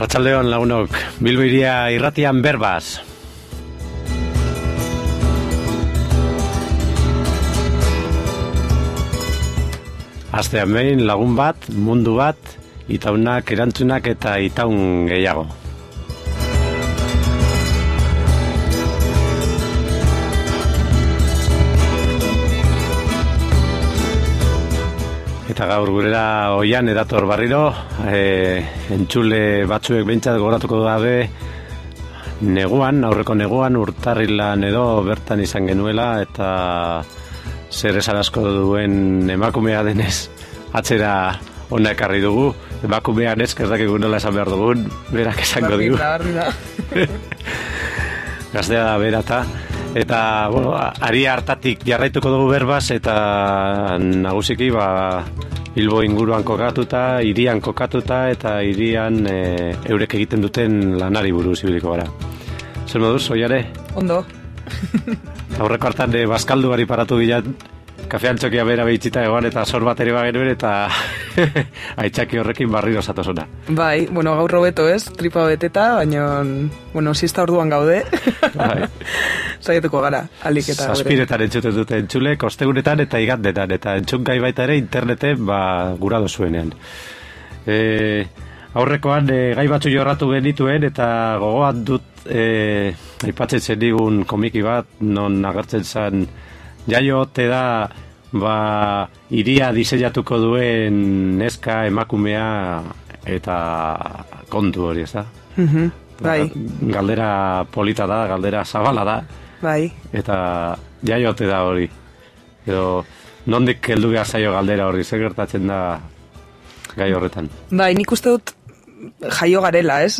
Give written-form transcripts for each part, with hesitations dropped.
Arratsaldeon lagunok, Bilbo hiria irratian berbaz. Astean behin lagun bat, mundu bat, itaunak, erantzunak eta itaun gehiago. Eta gaur gurera oian edator barriro, entzule batzuek behintzat gogoratuko gabe aurreko neguan, urtarrilan edo bertan izan genuela, eta zer esan asko duen emakumea denez atzera ona ekarri dugu. Emakumean ez dakigu nola esan behar dugun, berak esango dugu. Gaztea da berata. Eta, bueno, ari hartatik jarraituko dugu berbaz, eta nagusiki, Bilbo inguruan kokatuta, hirian kokatuta, eta hirian eurek egiten duten lanari buruz ibiliko gara. Zer moduz, oiare? Ondo. Aurreko hartan bazkalduari paratu bilan, kafean txokia bera behitzita egoan, eta sor bat ere bagenuen, eta aitzaki horrekin barriro zatozona. Bai, bueno, gaur robeto ez, tripa beteta, baina, bueno, zizta orduan gaude. Bai. Zaiatuko gara, alik eta gure. Zazpiretan entzuten dute entzule, kostegunetan eta igandetan, eta entzungai baita ere interneten gura dozuenean. Aurrekoan gai batzu jorratu genituen, eta gogoan dut aipatzen zen digun komiki bat, non agertzen zen jaio ote da hiria diseinatuko duen neska emakumea eta kontu hori, ez da? Bai. Galdera polita da, galdera zabala da. Bai. Eta jaio ote da hori. Edo, nondik heldu behar zaio galdera hori, zer gertatzen da gai horretan? Bai, nik uste dut jaio garela, ez?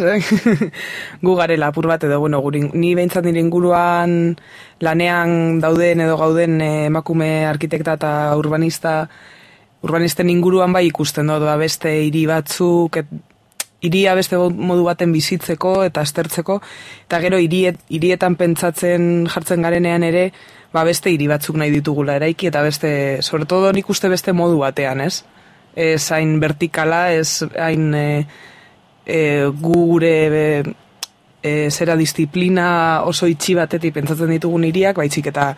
Gu garela, apur bat edo, bueno, ni behintzat nire inguruan lanean dauden edo gauden emakume arkitekta eta urbanisten inguruan bai ikusten dut, beste hiri batzuk, hiria beste modu baten bizitzeko eta aztertzeko, eta gero hirietan pentsatzen jartzen garenean ere, beste hiri batzuk nahi ditugula eraiki, eta beste, sobre todo nik uste beste modu batean, ez? Ez hain vertikala, ez hain gure zera disiplina oso itxi batetik pentsatzen ditugun hiriak, baitzik eta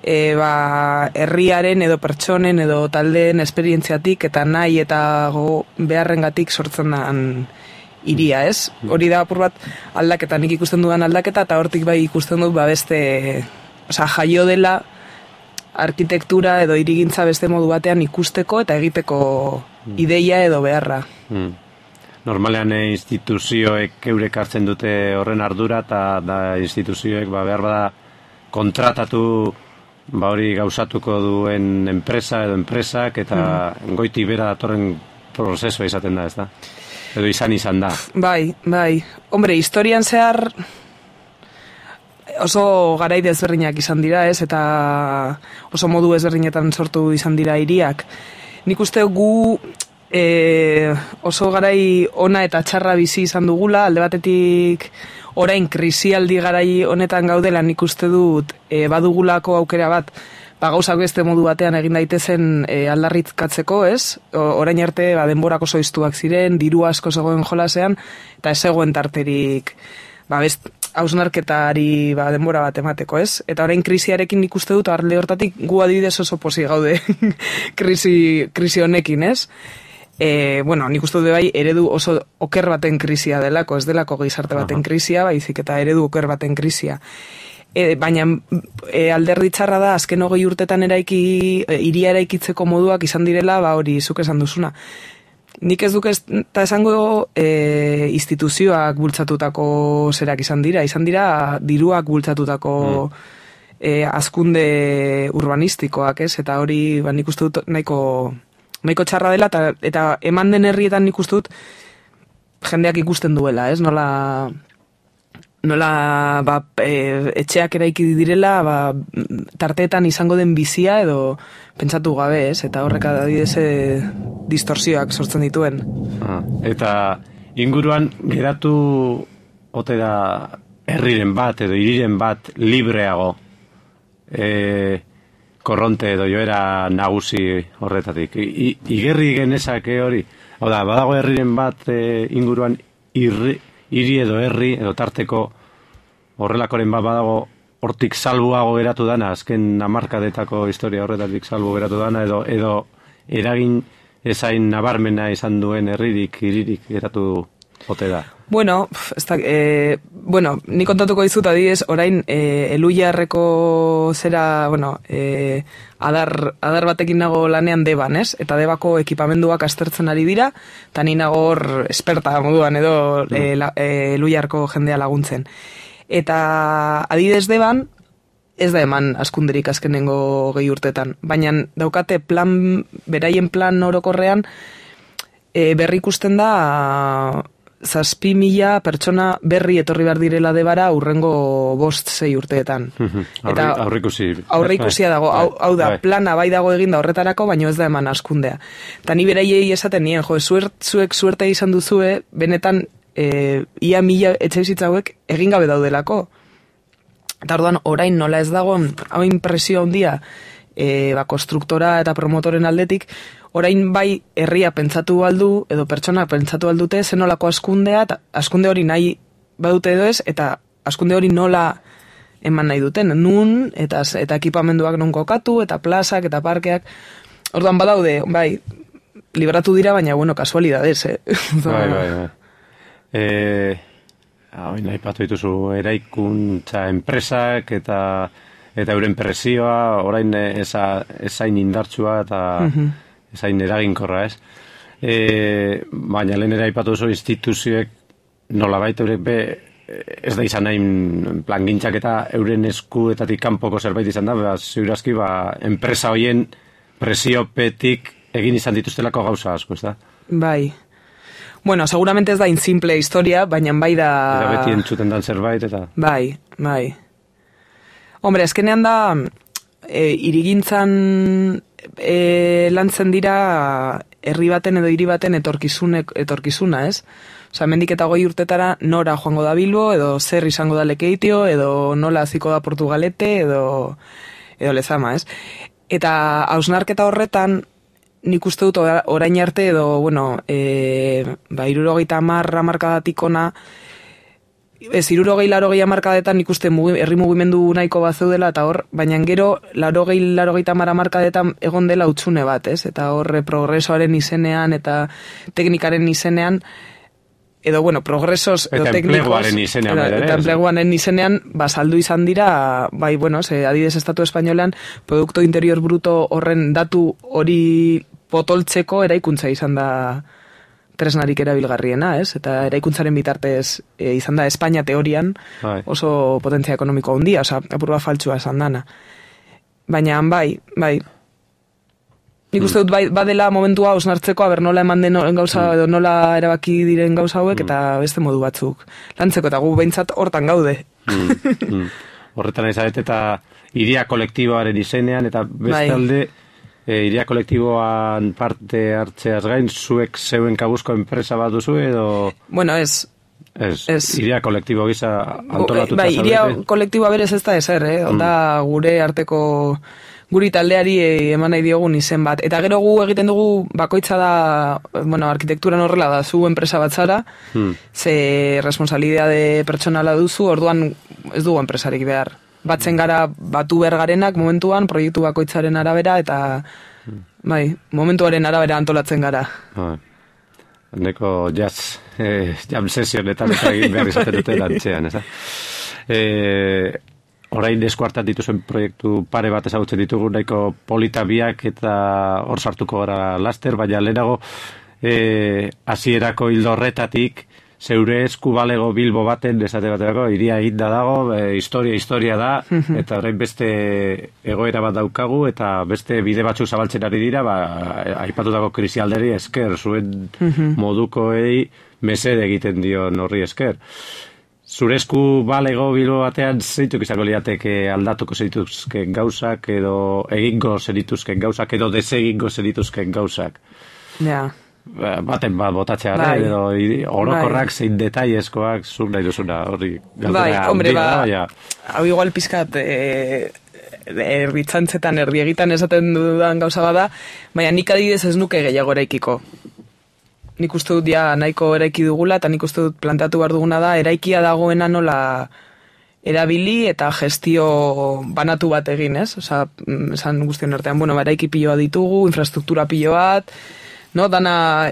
herriaren edo pertsonen edo taldeen esperientziatik eta nahi eta beharrengatik sortzen da hiria, ez? Hori da apur bat aldaketa, nik ikusten dudan aldaketa, eta hortik bai ikusten dut beste, jaio dela arkitektura edo hirigintza beste modu batean ikusteko eta egiteko ideia edo beharra. Normalean instituzioek eurek hartzen dute horren ardura, eta da instituzioek behar bada kontratatu hori gauzatuko duen enpresa edo enpresak, eta goiti bera datorren prozesua izaten da, ez da? Edo izan da. Bai. Hombre, historian zehar oso garai desberdinak izan dira, ez? Eta oso modu ezberdinetan sortu izan dira hiriak. Nik uste gu oso garai ona eta txarra bizi izan dugula, alde batetik orain krisialdi garai honetan gaudela, nik uste dut badugulako aukera bat, gauzak beste modu batean egin daitezen aldarritkatzeko, ez? Orain arte denborak oso iztuak ziren, diru asko zegoen jolasean, eta ez zegoen tarterik hausnarketari denbora bat emateko, ez? Eta orain krisiarekin nik uste dut, arle hortatik gu adibidez oso posi gaude krisi honekin, ez? Bueno, nik uste dut bai eredu oso oker baten krisia delako, ez delako gizarte baten krisia, baizik eta eredu oker baten krisia. Baina alderdi txarra da, azken 20 urtetan hiria eraikitzeko moduak izan direla, hori zuk esan duzuna. Nik ez duk eta esango instituzioak bultzatutako zerak izan dira diruak bultzatutako hazkunde urbanistikoak, ez? Eta hori nik uste dut nahiko txarra dela, eta eman den herrietan nik uste dut jendeak ikusten duela, ez? Nola etxeak eraiki direla, tarteetan izango den bizia edo pentsatu gabe, ez? Eta horrek adibidez distorsioak sortzen dituen. Eta inguruan geratu ote da herriren bat edo hiriren bat libreago, korronte edo joera nagusi horretatik. Igerri genezake hori. Hau da, badago herriren bat inguruan hiri edo herri, edo tarteko horrelakoren badago hortik salbuago geratu dana, azken hamarkadetako historia horretatik salbu geratu dana, edo eragin ezain nabarmena izan duen herririk, hiririk geratu ote da. Bueno, ni kontatuko dizut adibidez, orain Eluiarreko zera, adar batekin nago lanean Deban, ez? Eta Debako ekipamenduak aztertzen ari dira, eta ni nago hor esperta moduan edo Eluiarko jendea laguntzen. Eta adibidez Deban, ez da eman askunderik azkenengo 2 urtetan, baina daukate beraien plan orokorrean berri ikusten da 7.000 pertsona berri etorri behar direla Debara urrengo 5-6 urteetan. Aurreikusia dago, hau da, plana bai dago eginda horretarako, baina ez da eman askundea. Eta ni beraiei esaten nien, zuek suerte izan duzue, benetan ia 1.000 etxebizitza hauek egin gabe daudelako. Eta orduan, orain nola ez dagoen, hau impresio handia, konstruktora eta promotoren aldetik, orain bai herria pentsatu aldu, edo pertsona pentsatu aldute, zenolako askundea, eta askunde hori nahi badute edo ez, eta askunde hori nola eman nahi duten, nun, eta ekipamenduak non kokatu, eta plazak, eta parkeak, orduan badaude, bai, libratu dira, baina, kasualidades, Bai. Nahi patu dituzu eraikuntza enpresak eta euren presioa, orain ezain indartsua eta ezain eraginkorra, ez? Baina lehen aipatu duzu instituzioek nolabait ez da izan nahi plangintzak eta euren eskuetatik kanpoko zerbait izan da, ziurazki enpresa hoien presiopetik egin izan dituztelako gauza asko, ez da? Bai. Bueno, seguramente ez da insimple historia, baina bai da... Eta beti entzuten dan zerbait, eta... Bai. Hombre, azkenean da, irigintzan lantzen dira herri baten edo hiri baten etorkizuna, ez? Osa, mendik eta 20 urtetara nora joango da Bilbo, edo zer izango da Lekeitio, edo nola haziko da Portugalete, edo Lezama, ez? Eta hausnarketa horretan, nik uste dut orain arte edo, 70 hamarkadatik ona, 60-80 hamarkadetan nik uste herri mugimendu nahiko bat zeudela, eta hor, baina gero 80 hamarkadetan egon dela hutsune bat, ez? Eta hor, progresoaren izenean eta teknikaren izenean, edo, progresos edo teknikos, eta enpleguaren izenean, saldu izan dira, bai, adibidez Estatu Espainolean, Produkto Interior Bruto horren datu hori potoltzeko eraikuntza izan da tresnarik erabilgarriena, ez? Eta eraikuntzaren bitartez izan da Espainia teorian oso potentzia ekonomiko handia, apur bat faltsua esan dana. Baina, bai. Nik uste dut badela momentua osnartzeko, nola eman den gauza, edo nola erabaki diren gauza hauek, eta beste modu batzuk lantzeko, eta gu behintzat hortan gaude. Horretan ezaret, eta iria kolektiboaren izenean, eta bestalde, iria kolektiboan parte hartzeaz gain, zuek zeuen kabuzko enpresa bat duzu, edo... Bueno, ez. Iria kolektibo gisa antolatuta zaudete. Iria kolektiboa berez ez da ezer, da gure arteko... guri taldeari eman nahi diogun izen bat. Eta gero gu egiten dugu bakoitza da, arkitekturan horrela da, zu enpresa bat zara, ze responsabilidade pertsonala duzu, orduan ez dugu enpresarik behar. Batzen gara batu behar garenak momentuan, proiektu bakoitzaren arabera, eta momentuaren arabera antolatzen gara. Neko jam sesionetan egin behar izaten dute lantzean, ez da? Orain eskuartan dituzen proiektu pare bat ezagutzen ditugu, nahiko polita biak eta hor sartuko gara laster, baina lehenago hasierako hildo horretatik zeure esku balego Bilbo baten esate baterako iria eginda dago, historia da, eta orain beste egoera bat daukagu, eta beste bide batzuk zabaltzen ari dira, aipatutako krisialderi esker, zuen modukoei mesede egiten dio horri esker. Zure esku balego Bilbo batean zeituk izango liateke aldatuko zerituzken gauzak, edo egingo zerituzken gauzak, edo desegingo zerituzken gauzak. Ja. Baten bat botatzea, edo orokorrak zein detaiezkoak zuk nahi duzuna horri galdera. Hau igual pizkat erbitzantzetan, erdiegitan esaten dudan gauza bada, baina nik adibidez ez nuke gehiago eraikiko. nik uste dut ja nahiko eraiki dugula, eta nik uste dut planteatu behar duguna da, eraikia dagoena nola erabili eta gestio banatu bat egin, ez? Osa, esan guztion artean, bueno, eraiki piloa ditugu, infrastruktura pilo bat, no? Dana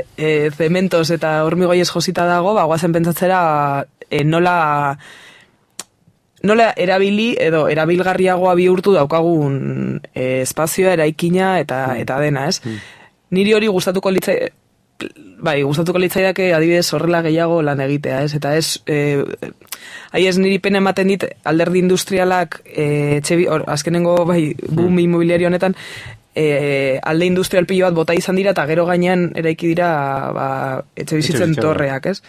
zementos eta hormigoiez josita dago, guazen pentsatzera nola erabili edo erabilgarriagoa bihurtu daukagun espazioa, eraikina eta dena, ez? Niri hori gustatuko litzaidake adibidez horrela gehiago lan egitea, ez? Eta ez, ez niri pena ematen dit alderdi industrialak, azkenengo boom immobiliario honetan, alde industrial pilo bat bota izan dira, eta gero gainean eraiki dira etxe bizitzen torreak, ez?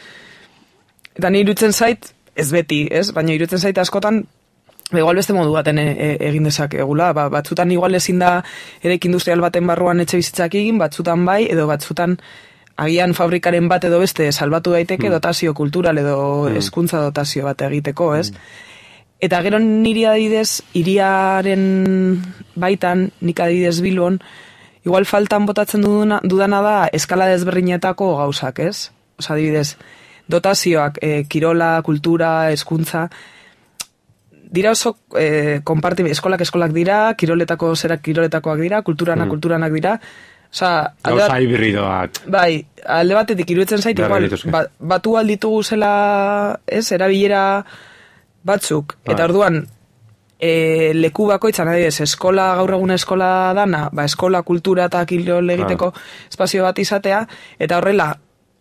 Eta niri iruditzen zait, ez beti, ez? Baina iruditzen zait askotan, igual beste modu baten egin dezakegula, batzutan igual ezin da eraiki industrial baten barruan etxe bizitzak egin, batzutan bai, edo batzutan agian fabrikaren bat edo beste salbatu daiteke dotazio kultural edo hezkuntza dotazio bat egiteko, ez? Eta gero niri adibidez, hiriaren baitan, nik adibidez Bilbon, igual faltan botatzen dudana da eskala desberdinetako gauzak, ez? Osa adibidez, dotazioak, kirola, kultura, hezkuntza, dira oso eskolak dira, kiroletakoak dira, kulturanak dira, osa, gauza hibridoak. Bai, alde batetik iruditzen zait, igual, batu alditugu zela, ez, erabilera batzuk, eta orduan, leku bakoitzan, adibidez, eskola, gaur egun eskola dana, eskola, kultura eta kirol egiteko espazio bat izatea, eta horrela,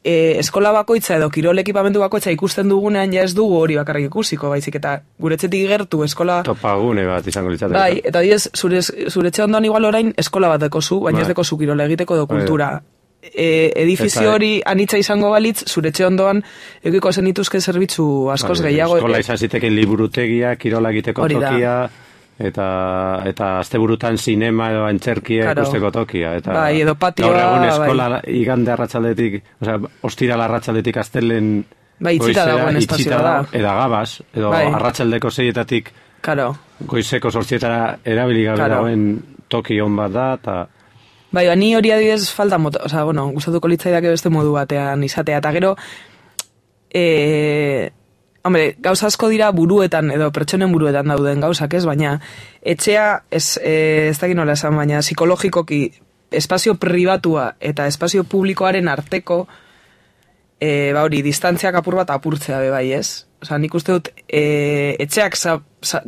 eskola bakoitza edo kirol ekipamendu bakoitza ikusten dugunean ja ez dugu hori bakarrik ikusiko, baizik eta guretzetik gertu eskola... Topagune bat izango litzateke. Bai, eta diez, zuretxe ondoan igual orain eskola bat dekozu, baina ez dekozu kirol egiteko edo kultura. Edifizio hori anitza izango balitz, zuretxe ondoan eukiko zen ituzke zerbitzu askoz gehiago. Eskola izan ziteken liburutegia, kirola egiteko tokia... Eta asteburutan sinema edo antzerkia ikusteko tokia. Eta bai, edo patioa... Gaur egun eskola igande arratsaldetik, ostiral arratsaletik astelen... Bai, itxita dagoen espazioa da. Eda gabaz, edo arratsaldeko 6etatik goizeko 8etara erabili gabe dagoen toki on bat da, eta... Bai, ni hori adibidez falta mota, gustatuko litzaidake beste modu batean izatea, eta gero... Hombre, gauza asko dira buruetan, edo pertsonen buruetan dauden gauzak, ez? Baina, etxea, ez dakit nola esan, baina psikologikoki espazio pribatua eta espazio publikoaren arteko, hori, distantziak apur bat apurtzea bai, ez? Osa, nik uste dut, etxeak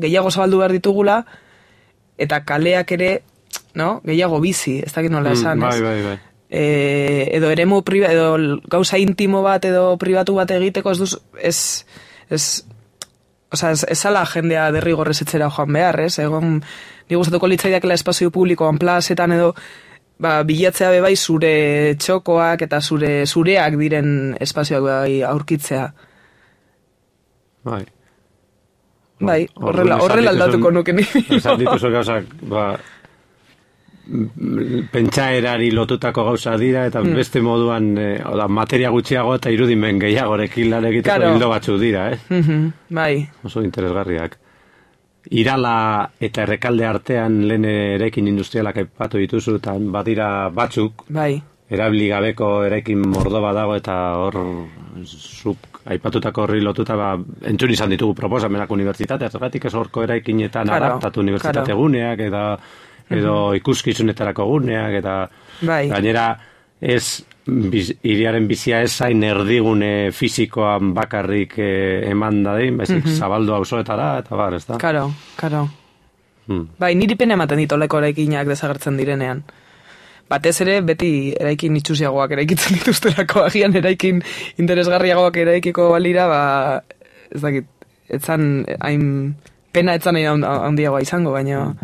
gehiago zabaldu behar ditugula, eta kaleak ere, no? Gehiago bizi, ez dakit nola esan, ez? Bai. Edo eremu edo gauza intimo bat edo pribatu bat egiteko ez ala jendea derrigorrez etxera joan behar, ez? Egon, ni gustatuko litzaidakela espazio publikoan plazetan edo bilatzea bai zure txokoak eta zureak diren espazioak bai aurkitzea. Bai. Bai, horrela aldatuko nuke ni. Esan dituzu gauzak, pentsaerari lotutako gauza dira, eta beste moduan materia gutxiago eta irudimen gehiagorekin lan egiteko hildo batzu dira, Bai. Oso interesgarriak. Irala eta Errekalde artean lehen eraikin industrialak aipatu dituzu, eta badira batzuk, erabili gabeko eraikin mordo badago, eta hor zuk aipatutako horri lotuta entzun izan ditugu proposamenak unibertsitatea, zergatik ez horko eraikinetan adaptatu unibertsitate guneak, edo ikuskizunetarako guneak, eta gainera ez hiriaren bizia ez zain erdigune fisikoan bakarrik eman dadin, baizik zabaldu auzoetara, eta bar, ez da? Karo. Bai, niri pena ematen ditoleko eraikinak desagertzen direnean. Batez ere, beti eraikin itxusiagoak eraikitzen dituztelako, agian eraikin interesgarriagoak eraikiko balira, ez dakit, pena etzan handiagoa izango, baina...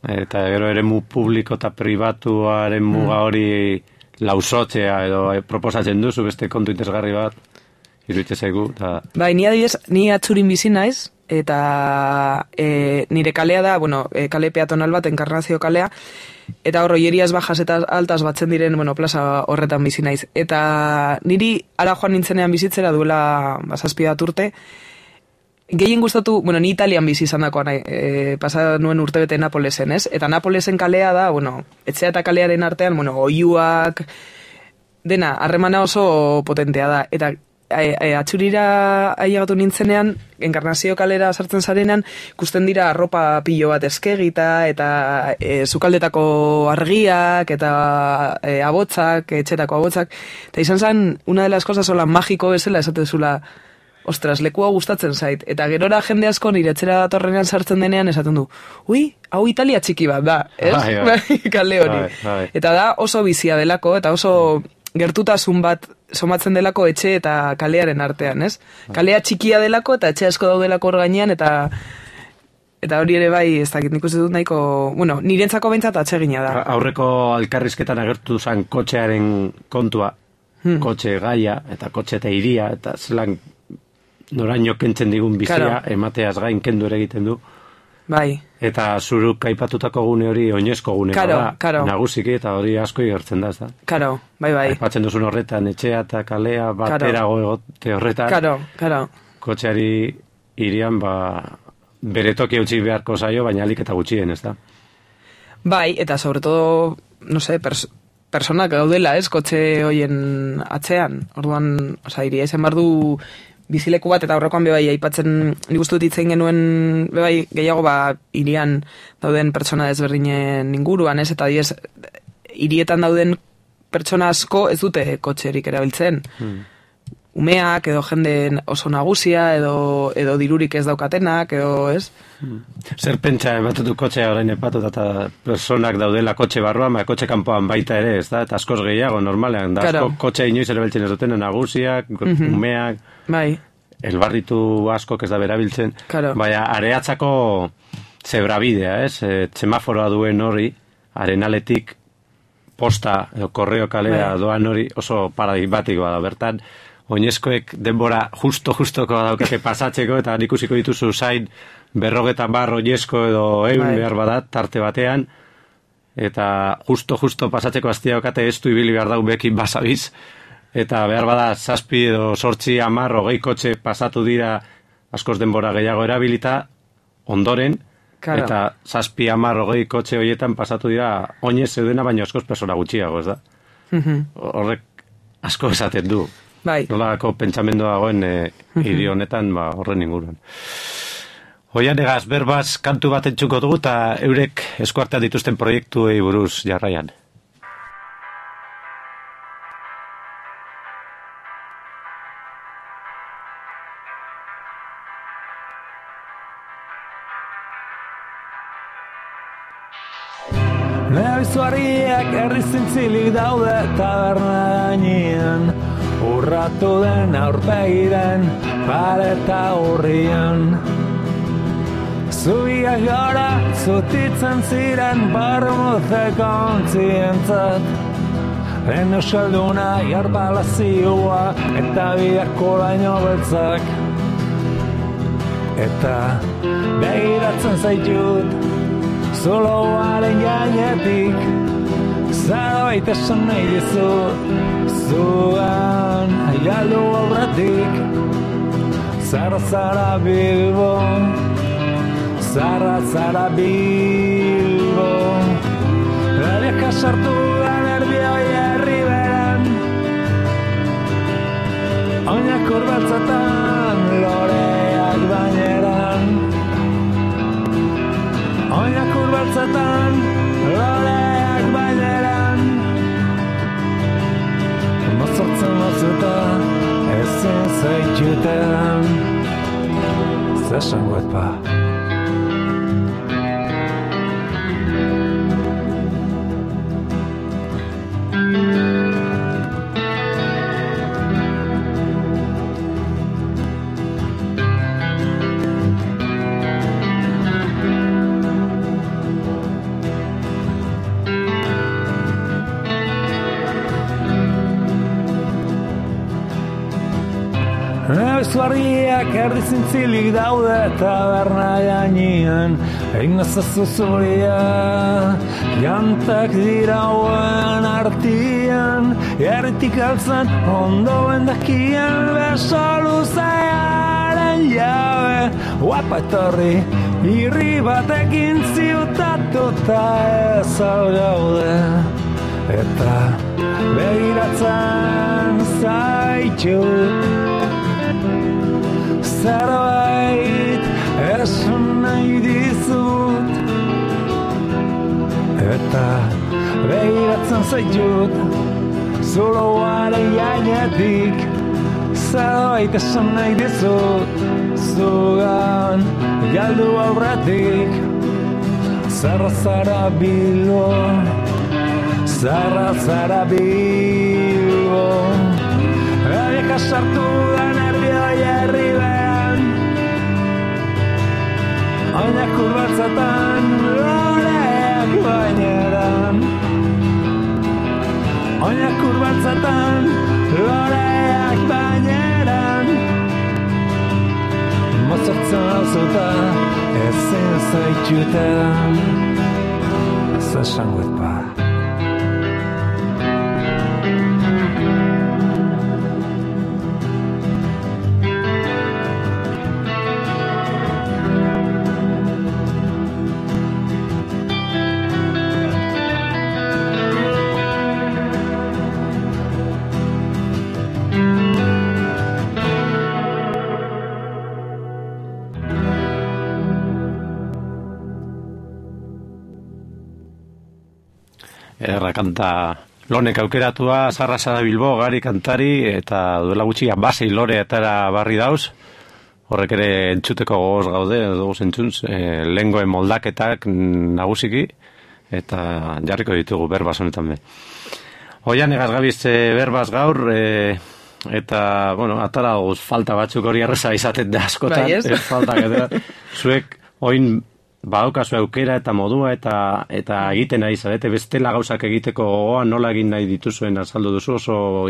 Eta gero eremu publiko eta pribatuaren muga hori lausotzea edo proposatzen duzu beste kontu interesgarri bat, iruditzen zaigu. Bai, ni atzurin bizi naiz, eta nire kalea da, kale peatonal bat, Enkarnazio kalea, eta hor oieriaz bajas eta altas batzen diren, plaza horretan bizi naiz. Eta niri ara joan nintzenean bizitzera duela 7 urte, gehien gustatu, ni Italian bizi izan dakoan, pasa nuen urtebete Napolesen, ez? Eta Napolesen kalea da, etxea eta kalearen artean, oiuak, dena, harremana oso potentea da, eta atxurira ailegatu nintzenean, Enkarnazio kalera sartzen zarenean, ikusten dira arropa pilo bat eskegita, eta sukaldetako argiak, eta abotzak, etxetako abotzak, eta izan zen, una de las cosas hola magiko bezala esatezula, ostras, lekua gustatzen zait, eta gerora jende asko nire etxera datorrenean sartzen denean esaten du, ui, hau Italia txiki bat da, ez? Kale hori. Eta da oso bizia delako, eta oso gertutasun bat somatzen delako etxe eta kalearen artean, ez? Kalea txikia delako eta etxe asko daudelako hor gainean, eta hori ere bai, ez dakit, nik uste dut nahiko, bueno, nirentzako behintzat atsegina da. Aurreko alkarrizketan agertu zen kotxearen kontua, kotxe gaia, eta kotxe eta iria, eta zelan noraino kentzen digun bizia, emateaz gain kendu ere egiten du. Bai. Eta zuruk aipatutako gune hori oinezko gune da, nagusiki, eta hori asko igertzen da, ez da? Karo, bai. Aipatzen duzun horretan, etxea eta kalea baterago egote horretan. Karo. Kotxeari irian, bere toki utzi beharko zaio, baina alik eta gutxien, ez da? Bai, eta sobre todo, no sé, personak gaudela, ez, kotxe hoien atzean. Orduan, iria izan bardu bizileku bat, eta aurrekoan bebai aipatzen, nik uste dut itzen genuen bebai gehiago irian dauden pertsona desberdinen inguruan, ez, eta diez, hirietan dauden pertsona asko ez dute kotxerik erabiltzen. Umeak, edo jende oso nagusia, edo dirurik ez daukatenak, edo, ez? Zer pentsa, batutu kotxea orain epatu, eta personak daudela kotxe barruan, kotxe kanpoan baita ere, ez da? Eta askoz gehiago, normalean, da asko kotxea inoiz erabiltzen ez duten, nagusiak, umeak, elbarritu asko ez da berabiltzen, baina areatzako zebrabidea, ez? Semaforoa duen hori, arenaletik posta, edo korreo kalea doan hori, oso paradigmatikoa da, bertan, oinezkoek denbora justoko daukate pasatzeko, eta ikusiko dituzu zain 50 oinezko edo 100 behar badat tarte batean, eta justo pasatzeko aztia daukate ez du ibili behar daubekin basabiz, eta behar bada 7 edo 8, 10, 20 kotxe pasatu dira askoz denbora gehiago erabilita, ondoren, eta 7, 10, 20 kotxe horietan pasatu dira oinez zeudena, baina askoz persona gutxiago, ez da? Horrek asko esaten du. Nolako pentsamendua dagoen hiri honetan horren inguruan. Oian egaz, berbaz kantu bat entzuko dugu eta eurek eskuartean dituzten proiektuei buruz jarraian. Nebizuariak herri zintzilik daude taberna gainean, urratu den aurpegiren pareta urrian. Zubiak gara zutitzen ziren barmuzeko ontzientzat, den euskalduna jarbala-zioa eta biako baino beltzak. Eta begiratzen zaitut zuloaren gainetik, zerbait esan nahi dizut, zugan galdu aurretik. Zara Bilbo, zara Bilbo, Eliaka sartu da nervioi herri beran, oinak urbeltzetan loreak baineran, oinak urbeltzetan loreak baineran. Mozortzen mozuta ezin zaitxutean, zesangoet pa. Nebizuariak erdi zintzilik daude taberna gainean, egin nazazu zuria, jantak dirauen artian, erritik altzen ondo bendakian, beso luzearen jabe, guapa etorri, irri batekin ziutatuta ez algaude, eta begiratzen zaitut. Zerbait esan nahi dizut, eta begiratzen zaitut, zuloaren gainetik. Zerbait esan nahi dizut, zugan galdu aurretik. Zarra zara Bilbo, zarra zara Bilbo, Erika sartu da nervioi herribean, oinak urbatzatan loreak baineran, oinak urbatzatan loreak baineran, mozortzen hauzuta ezin zaitxutan, ez esangoet ba. Kanta lonek aukeratua, Zarra zara Bilbo, Gari kantari, eta duela gutxi basei lore etara barri dauz, horrek ere entzuteko gogoz gaude, dugu entzunz, lehengoen moldaketak nagusiki, eta jarriko ditugu berbaz honetan be. Oian egaz gabiz berbaz gaur, eta, bueno, atara guz falta batzuk hori arreza izaten da askotan, bai, ez? Faltak eta zuek oin badaukazu aukera eta modua eta egiten nahi zarete, bestela gauzak egiteko gogoa nola egin nahi dituzuen azaldu duzu, oso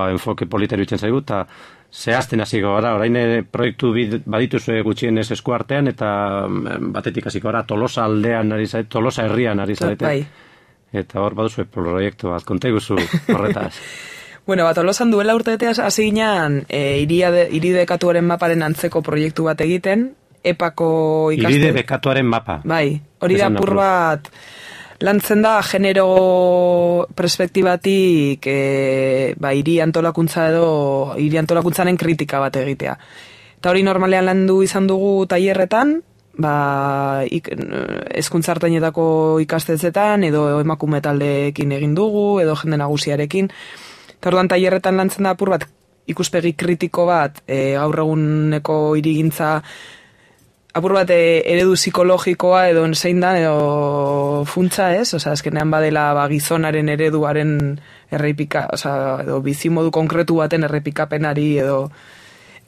enfoke politero itzen zaigu, eta zehazten hasiko gara, orain proiektu badituzue gutxienez eskuartean, eta batetik hasiko gara, Tolosa aldean ari zarete, Tolosa herrian ari zarete, Bai. eta hor baduzue proiektu bat, konta iguzu horretaz. Bueno, Tolosan duela urteeteaz hasi ginen iridekatuaren maparen antzeko proiektu bat egiten, epako ikaste... Iride bekatuaren mapa. Bai, hori da apur bat lantzen da genero perspektibatik hiri antolakuntza edo hiri antolakuntzaren kritika bat egitea. Eta hori normalean landu izan dugu tailerretan, hezkuntza-artainetako ikastetxetan edo emakume taldeekin egin dugu edo jende nagusiarekin. Eta orduan tailerretan lantzen da apur bat ikuspegi kritiko bat gaur eguneko hirigintza apur bat eredu psikologikoa edo zein dan edo funtsa ez, azkenean badela gizonaren ereduaren errepika, edo bizimodu konkretu baten errepikapenari edo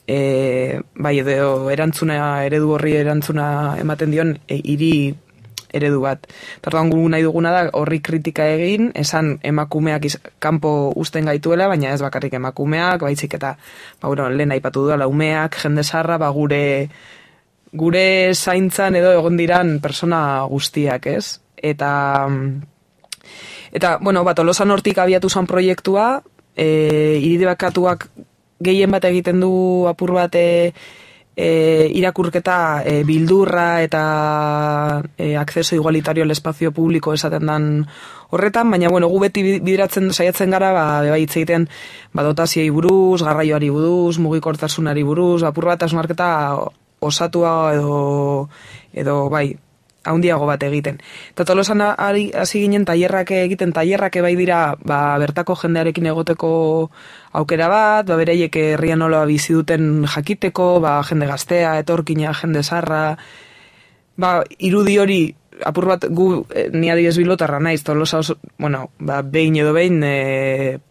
edo eredu horri erantzuna ematen dion hiri eredu bat. Tartuan gu nahi duguna da horri kritika egin, esan emakumeak kanpo uzten gaituela, baina ez bakarrik emakumeak, baizik eta lehen aipatu duela umeak, jende zaharra, gure zaintzan edo egon diran persona guztiak, ez? Eta Tolosan hortik abiatu zan proiektua, iridebakatuak gehien bat egiten du apur bat irakurketa bildurra eta acceso igualitario al espacio público esaten dan horretan, baina gu beti bideratzen saiatzen gara, hitz egiten dotazioei buruz, garraioari buruz, mugikortasunari buruz, apur bat hausnarketa osatua edo haundiago bat egiten. Eta Tolosan hasi ginen tailerrak egiten, tailerrak bai dira bertako jendearekin egoteko aukera bat, bereiek herrian nola bizi duten jakiteko, jende gaztea, etorkina, jende zaharra, irudi hori apur bat ni adibidez bilbotarra naiz, Tolosa oso, behin edo behin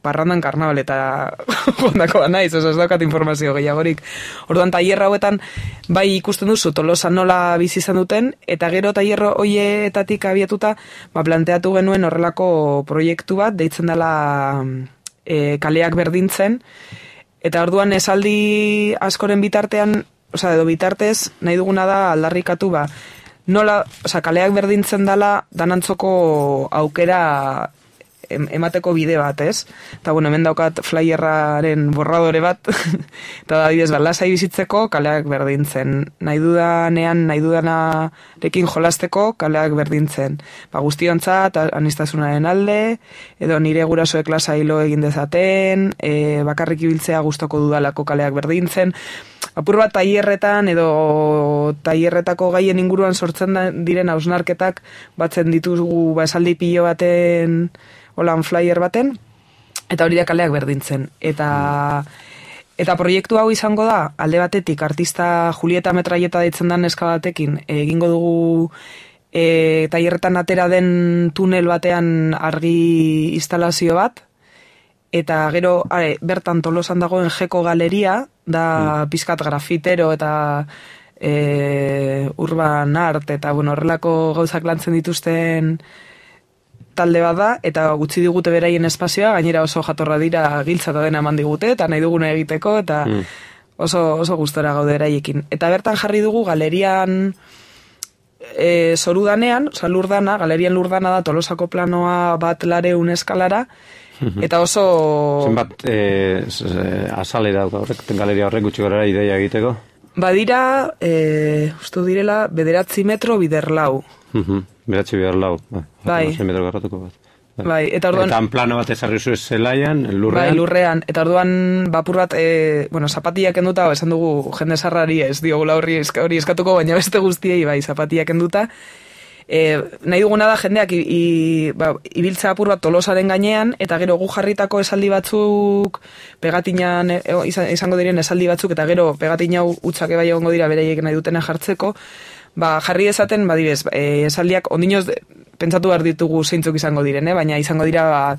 parrandan karnaval eta ondako naiz, ez daukat informazio gehiagorik. Orduan tailer hauetan bai ikusten duzu Tolosa nola bizi izan duten, eta gero tailer hoietatik abiatuta planteatu genuen horrelako proiektu bat, deitzen dela kaleak berdintzen, eta orduan esaldi askoren bitartean, edo bitartez, nahi duguna da aldarrikatu nola, kaleak berdintzen dela danantzoko aukera emateko bide bat, ez? Eta, bueno, hemen daukat flyerraren borradore bat, eta da bidez, lasai bizitzeko kaleak berdintzen. Nahi dudanarekin jolasteko kaleak berdintzen. Guztiontzat, aniztasunaren alde, edo nire gurasoek lasai lo egin dezaten, bakarrik ibiltzea gustoko dudalako kaleak berdintzen. Apur bat tailerretan edo tailerretako gaien inguruan sortzen diren hausnarketak batzen ditugu esaldi pilo baten, holan flyer baten, eta hori da kaleak berdintzen. Eta proiektu hau izango da, alde batetik, artista Julieta Metraieta deitzen den neska batekin, egingo dugu tailerretan atera den tunel batean argi instalazio bat, eta gero bertan Tolosan dagoen Jeko galeria, da pizkat grafitero eta urban art, eta bueno, horrelako gauzak lantzen dituzten talde bat da, eta gutxi digute beraien espazioa, gainera oso jatorra dira giltza eta dena eman digute, eta nahi duguna egiteko, eta oso gustora gaude beraiekin. Eta bertan jarri dugu galerian Zorudanean, Lurdana, galerian Lurdana da Tolosako planoa bat lareun eskalara, eta oso... Zenbat azalera horrek, galeria horrek gutxi gorera ideia egiteko? Badira, uste direla, 9 metro biderlau. 9 biderlau, bai. 6 metro garratuko bat. Bai, eta orduan... Eta plano bat ezarri zu zelaian, lurrean? Bai, lurrean. Eta orduan, bapur bat, zapatiak enduta, esan dugu jende sarrari ez diogula hori eskatuko, baina beste guztiei, bai, zapatiak enduta. Nahi duguna da jendeak ibiltza apur bat Tolosaren gainean, eta gero gu jarritako esaldi batzuk, pegatinan izango diren esaldi batzuk, eta gero pegatina utzak bai egongo dira beraiek nahi dutena jartzeko, jarri dezaten, esaldiak ondinoz pentsatu behar ditugu zeintzuk izango diren, baina izango dira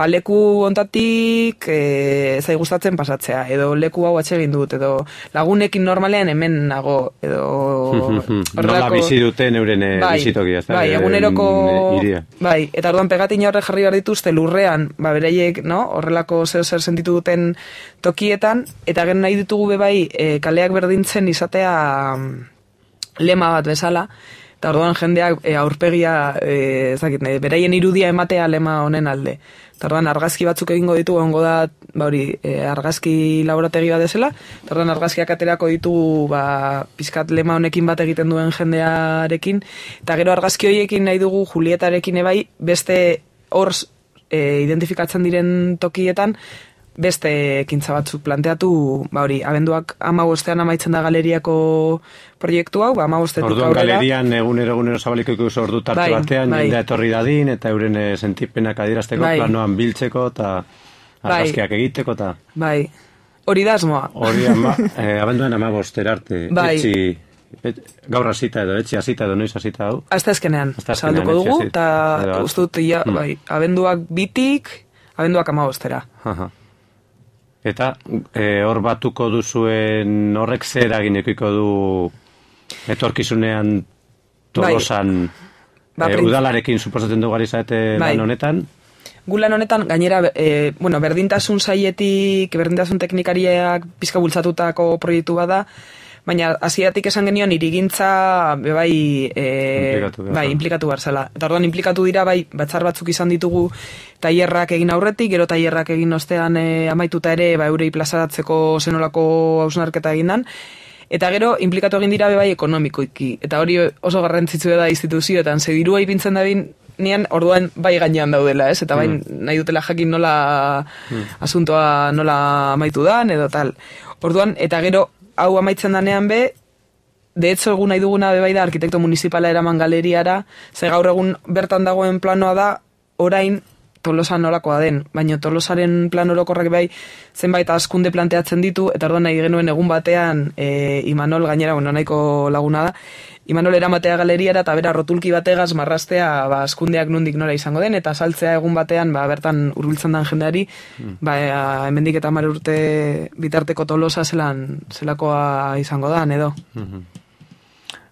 leku ontatik zai gustatzen pasatzea, edo leku hau atsegin dut, edo lagunekin normalean hemen nago, edo... Nola bizi duten euren bizitokia. Bai, eguneroko... Bai, eta orduan pegatina horre jarri behar dituzte lurrean, beraiek, horrelako zer sentitu duten tokietan, eta gero nahi ditugu bebai kaleak berdintzen izatea lema bat bezala, eta orduan jendeak aurpegia, beraien irudia ematea lema honen alde. Eta orduan argazki batzuk egingo ditu, egongo da, argazki laborategi bat desela, eta orduan argazkiak aterako ditugu, pizkat lema honekin bat egiten duen jendearekin, eta gero argazki horiekin nahi dugu Julietarekin ebai, beste hor identifikatzen diren tokietan, beste ekintza batzuk planteatu, abenduak 15ean amaitzen da galeriako proiektu hau, 15etik aurrera. Orduan galerian egunero zabaliko ikusi ordu tarte batean, jendea etorri dadin, eta euren sentipenak adierazteko, planoan biltzeko, eta argazkiak egiteko, eta... Bai, hori da asmoa. Hori abenduan 15 arte, gaur hasita edo, etxe hasita edo, noiz hasita hau? Asteazkenean, zabalduko dugu, eta ustut, abenduak 2tik, abenduak 15era. Eta hor batuko duzuen horrek zer eragineko du etorkizunean Tolosan udalarekin suposatzen dugu ari zaete lan honetan? Gu lan honetan, gainera, berdintasun saietik, berdintasun teknikariak pizka bultzatutako proiektu bada, baina hasieratik esan genion irigintza implikatu behar zela. Eta orduan implikatu dira batzar batzuk izan ditugu tailerrak egin aurretik, gero tailerrak egin ostean amaituta ere eurei plazaratzeko zenolako hausnarketa egin dan. Eta gero implikatu egin dira ekonomikoiki. Eta hori oso garrantzitsu da instituzioetan, ze dirua ipintzen da nian orduan gainean daudela, ez? Eta nahi dutela jakin nola asuntoa nola amaitu dan, edo tal. Orduan, eta gero hau amaitzen danean de hecho egun nahi duguna da arkitekto municipala eraman galeriara, ze gaur egun bertan dagoen planoa da, orain Tolosan nolakoa den, baina Tolosaren plan orokorrak zenbait askunde planteatzen ditu, eta orduan nahi genuen egun batean Imanol gainera, nahiko laguna da, Imanol eramatea galeriara eta bera rotulki bategaz marrastea askundeak nondik nora izango den, eta saltzea egun batean bertan hurbiltzen den jendeari, hemendik eta 10 urte bitarteko Tolosa zelakoa izango da, edo.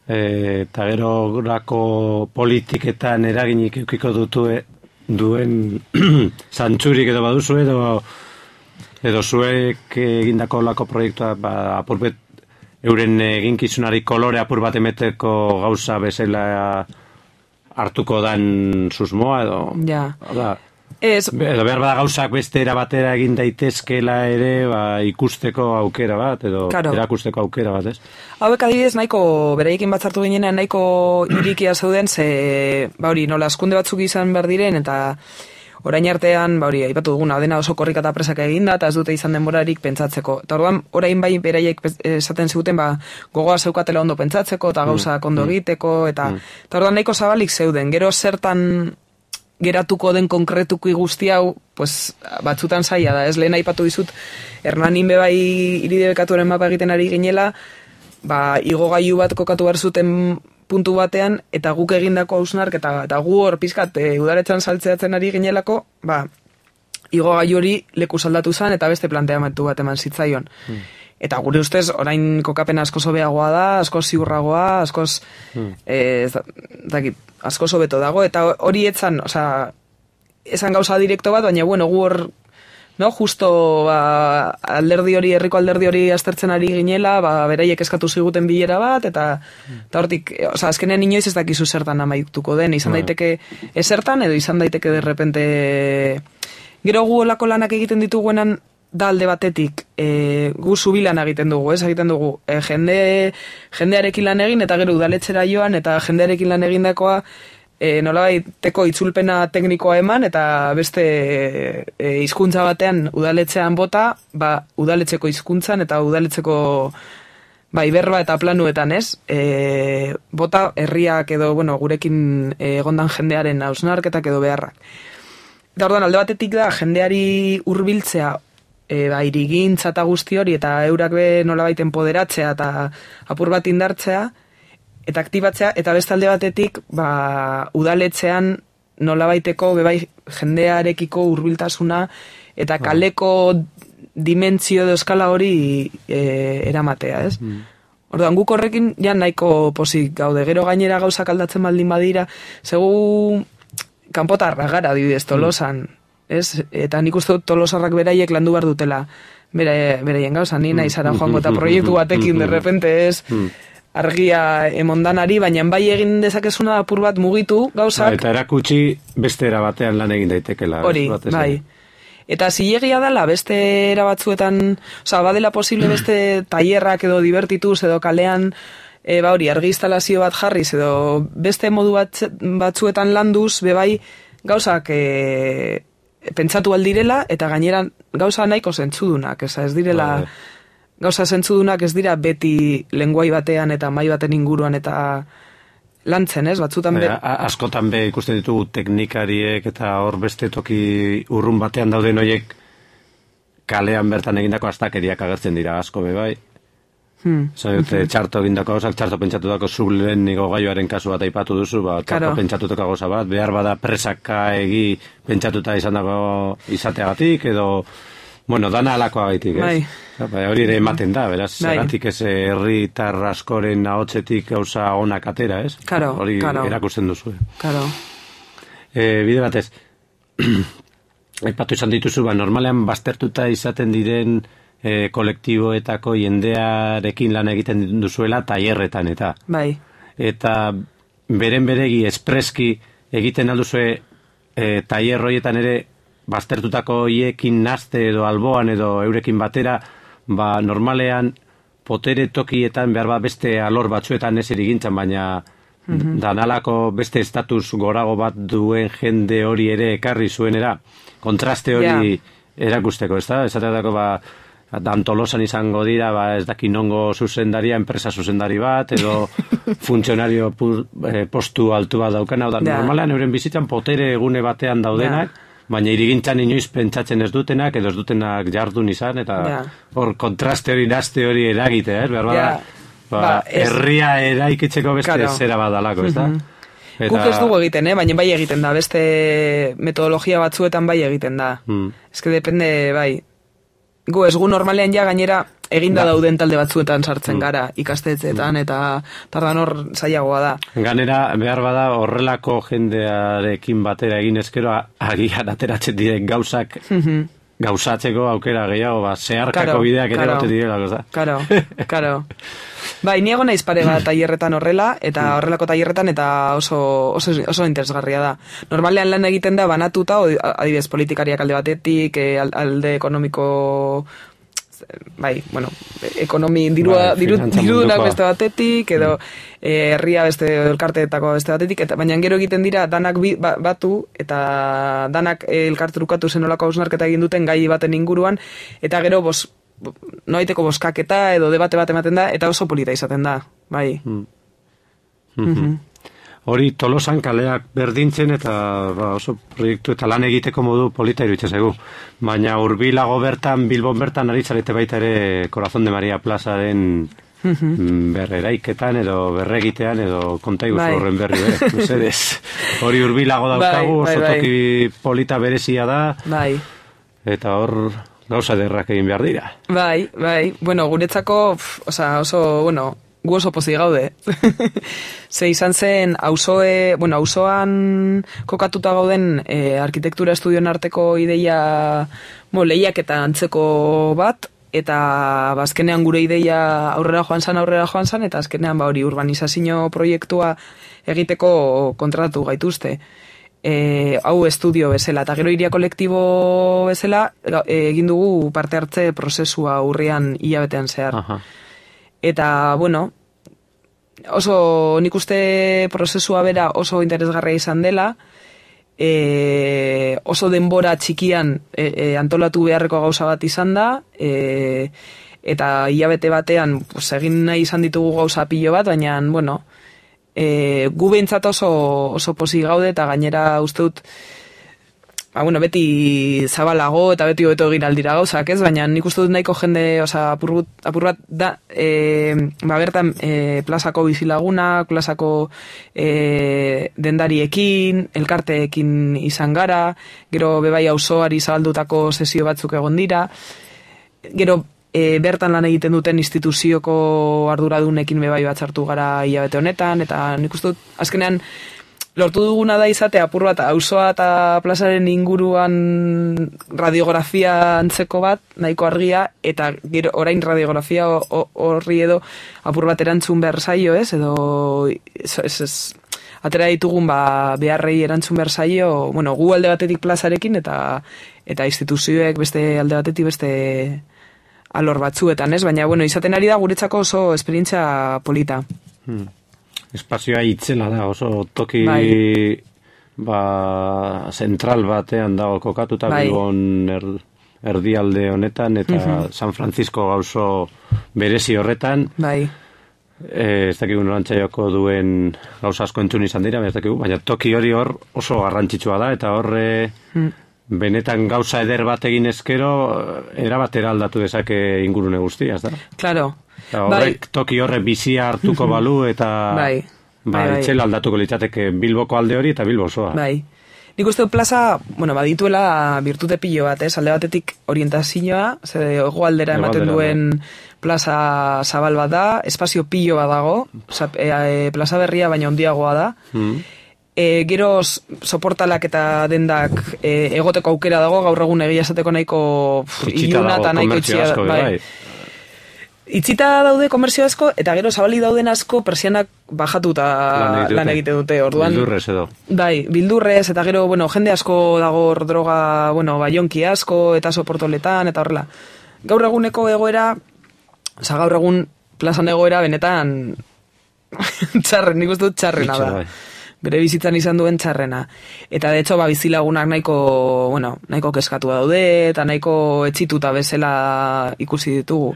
Eta gero grako politiketan eraginik eukiko duen zantzurik edo baduzu edo zuek egindako lako proiektua apurbet euren eginkizunari kolore apur bat emeteko gauza bezala hartuko dan susmoa edo... Ja. Ez, Edo behar bada gauzak beste era batera egin daitezkela ere, ikusteko aukera bat, edo Claro. erakusteko aukera bat, ez? hauek adibidez nahiko, beraiekin batzartu ginenean nahiko irikia zeuden, ze, hori, nola, askunde batzuk izan behar diren, eta orain artean, hori, aipatu duguna, dena oso korrika eta presak eginda, eta ez dute izan denborarik pentsatzeko. Eta orduan, orain bai beraiek esaten ziguten, gogoa zeukatela ondo pentsatzeko, eta gauzak ondo egiteko, eta orduan nahiko zabalik zeuden. Gero zertan geratuko den konkretuki guzti hau, pues, batzutan zaila da, ez lehen aipatu dizut, Hernanin bebai iridebekatuaren mapa egiten ari ginela, igogailu bat kokatu behar zuten puntu batean, eta guk egindako hausnark, eta gu hor pizkat udaletxan saltzeatzen ari ginelako, igogailu hori leku saldatu zen, eta beste planteamendu bat eman zitzaion. Eta gure ustez, orain kokapena askoz hobeagoa da, askoz ziurragoa, askoz, askoz hobeto dago, eta hori etzan, esan gauza direkto bat, baina, bueno, gu hor, no, justo, alderdi hori, herriko alderdi hori aztertzen ari ginela, beraiek eskatu ziguten bilera bat, eta hortik, azkenen inoiz ez dakizu zertan amaituko den, izan daiteke esertan, edo izan daiteke derrepente, gero gu olako lanak egiten dituguenan, da alde batetik, gu zubilan egiten dugu, egiten dugu, jendearekin lan egin, eta gero udaletxera joan, eta jendearekin lan egindakoa, nolabaiteko itzulpena teknikoa eman, eta beste hizkuntza batean udaletxean bota, udaletxeko hizkuntzan, eta udaletxeko berba eta planuetan, ez? Bota herriak edo, bueno, gurekin egondan jendearen hausnarketak edo beharrak. Eta orduan, alde batetik da, jendeari hurbiltzea, irigintza eta guzti hori, eta eurak be nolabait empoderatzea eta apur bat indartzea, eta aktibatzea, eta beste alde batetik, udaletxean nolabaiteko bebai jendearekiko hurbiltasuna eta kaleko dimentsio edo eskala hori eramatea, ez? Orduan, guk horrekin ja nahiko posik gaude, gero gainera gauzak aldatzen baldin badira, segu kanpotarra gara, adibidez, Tolosan, ez? Eta nik uste dut Tolosarrak beraiek landu behar dutela beraien gauza, ni nahi zara joango eta proiektu batekin derrepente, ez? Argia emondanari, baina bai egin dezakezuna apur bat mugitu gauzak. Eta erakutsi beste era batean lan egin daitekela. Hori, bai. Eta zilegia dela beste era batzuetan, badela posible beste tailerrak edo divertituz edo kalean, hori, argi instalazio bat jarriz edo beste modu batzuetan landuz, bebai gauzak pentsatu aldirela, eta gainera gauza nahiko zentzudunak, ez direla... Gauza zentzudunak ez dira beti lenguai batean eta mai baten inguruan eta lantzen, ez? Batzutan askotan be ikusten ditugu teknikariek eta hor beste toki urrun batean dauden horiek kalean bertan egindako astakeriak agertzen dira asko be bai. Txarto egindako gauzak, txarto pentsatutako zublen igogailuaren kasu bat aipatu duzu, txarto pentsatutako gauza bat, behar bada presaka egi pentsatuta izateagatik edo... Bueno, dana alakoa gaitik, ez? Hori ere ematen da, beraz, zeratik ez herritar askoren ahotsetik gauza onak atera, ez? Hori erakusten duzu. Bide batez, aipatu izan dituzu, normalean baztertuta izaten diren kolektiboetako jendearekin lan egiten duzuela tailerretan eta. Bai. Eta beren beregi espreski egiten alduzue tailer horietan ere baztertutako hiekin nazte edo alboan edo eurekin batera, normalean potere tokietan behar beste alor batzuetan ez erigintzan, baina danalako beste estatus gorago bat duen jende hori ere ekarri zuenera, kontraste hori erakusteko, ez da? Esateatako Tolosan izango dira, ez daki nongo zuzendaria, enpresa zuzendari bat, edo funtzionario postu altu bat daukana, normalean euren bizitzan potere egune batean daudenak, baina irigintzan inoiz pentsatzen ez dutenak, edo ez dutenak jardun izan, eta hor kontraste hori, nazte hori eragitea, herria eraikitzeko beste zera badalako, ez da? Guk ez dugu egiten, baina bai egiten da, beste metodologia batzuetan bai egiten da. Ez que depende, bai. Gu ez gu normalean ja gainera eginda dauden talde batzuetan sartzen gara, ikastetzeetan, eta tardan hor zailagoa da. Ganera, behar bada horrelako jendearekin batera egin ezkero, agian ateratzen diren gauzak gauzatzeko aukera gehiago, zeharkako bideak ere gote direla, goza. Karo. Bai, niego naiz pare bat tailerretan horrela, eta horrelako tailerretan, eta oso interesgarria da. Normalean lan egiten da banatuta, adibidez politikariak alde batetik, alde ekonomiko, bai, bueno, dirudunak beste batetik, edo herria beste elkarteetako beste batetik, eta baina gero egiten dira danak batu, eta danak elkarterukatu zenolako hausnarketa egin duten gai baten inguruan, eta gero noaiteko boskaketa edo debate bat ematen da, eta oso polita izaten da, bai. Hori Tolosan kaleak berdintzen eta oso proiektu eta lan egiteko modu polita iruditzen zaigu. Baina hurbilago bertan, Bilbon bertan ari zarete baita ere Corazón de María plazaren berreraiketan edo berregitean edo konta iguzu horren berri, mesedez. Hori hurbilago daukagu, oso toki polita berezia da. Bai. Eta hor gauza derrak egin behar dira. Bai. Bueno, guretzako, oso, bueno, gu oso pozik gaude. Ze izan zen, auzoan kokatuta gauden arkitektura estudioen arteko ideia lehiak eta antzeko bat, eta azkenean gure ideia aurrera joan zan, eta azkenean hori urbanizazio proiektua egiteko kontratu gaituzte. Hau estudio bezala, eta gero iria kolektibo bezala egin dugu parte hartze prozesua urrian hilabetean zehar. Aha. Eta, bueno, oso nik uste prozesua bera oso interesgarria izan dela, oso denbora txikian antolatu beharreko gauza bat izan da, eta hilabete batean egin nahi izan ditugu gauza pilo bat, baina, bueno, gu behintzat oso pozik gaude, eta gainera uste dut, beti zabalago eta beti hobeto egin aldira gauzak, ez? Baina nik uste dut nahiko jende, apur bat da, bertan plazako bizilagunak, plazako dendariekin, elkarteekin izan gara, gero bebai auzoari zabaldutako sesio batzuk egon dira, gero bertan lan egiten duten instituzioko arduradunekin bebai batzartu gara hilabete honetan, eta nik uste dut, azkenean, lortu duguna da izate apur bat auzoa eta plazaren inguruan radiografia antzeko bat, nahiko argia, eta gero orain radiografia horri edo apur bat erantzun behar zaio, ez? Edo atera ditugun beharrei erantzun behar zaio, bueno, gu alde batetik plazarekin eta instituzioek beste alde batetik beste alor batzuetan, ez? Baina, bueno, izaten ari da guretzako oso esperientzia polita. Espazioa itzela da, oso toki zentral batean dago kokatuta Bilbon erdialde honetan, eta San Francisco gauzo berezi horretan. Bai. Ez dakigu norantzaioko duen gauza asko entzun izan dira, baina toki hori hor oso garrantzitsua da, eta horre benetan gauza eder bat egin ezkero, erabatera aldatu dezake ingurune guztia, ez da? Claro. Horrek toki horre bizia hartuko balu eta itxela aldatuko litzateke Bilboko alde hori eta Bilbo osoa. Bai. Nik uste dut plaza, badituela birtute pilo bat, alde batetik orientazioa, hegoaldera ematen duen plaza zabal bat da, espazio pilo bat dago, plaza berria baina handiagoa da, gero soportalak eta dendak egoteko aukera dago, gaur egun egia esateko nahiko iluna eta nahiko itxia. Itzita daude komertzio asko, eta gero zabali dauden asko persianak bajatuta lan egite dute. Orduan, bildurrez edo. Bai, bildurrez, eta gero, jende asko dago droga, baionki asko, eta soportoletan, eta horrela. Gaur eguneko egoera, gaur egun plazan egoera benetan txarren, nik uste dut txarrena da. Bere bizitzan izan duen txarrena. Eta de hecho, bizilagunak nahiko keskatu daude, eta nahiko etxituta bezala ikusi ditugu.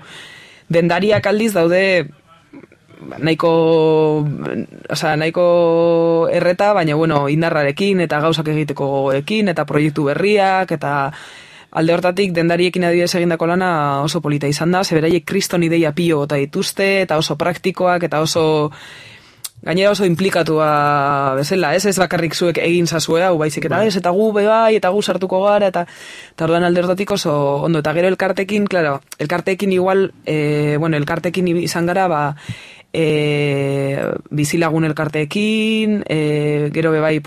Dendariak aldiz daude nahiko erreta, baina indarrarekin eta gauzak egiteko gogoekin eta proiektu berriak, eta alde hortatik dendariekin adibidez egindako lana oso polita izan da, zeberaiek kriston ideia pilo bota dituzte, eta oso praktikoak, eta gainera oso implikatua bezala, ez bakarrik zuek egin zazue hau, baizik eta eta gu bebai, eta gu sartuko gara, eta orduan alde hortatik oso ondo, eta gero elkartekin, claro, elkartekin igual, elkartekin izan gara, bizilagun elkarteekin, gero bebai,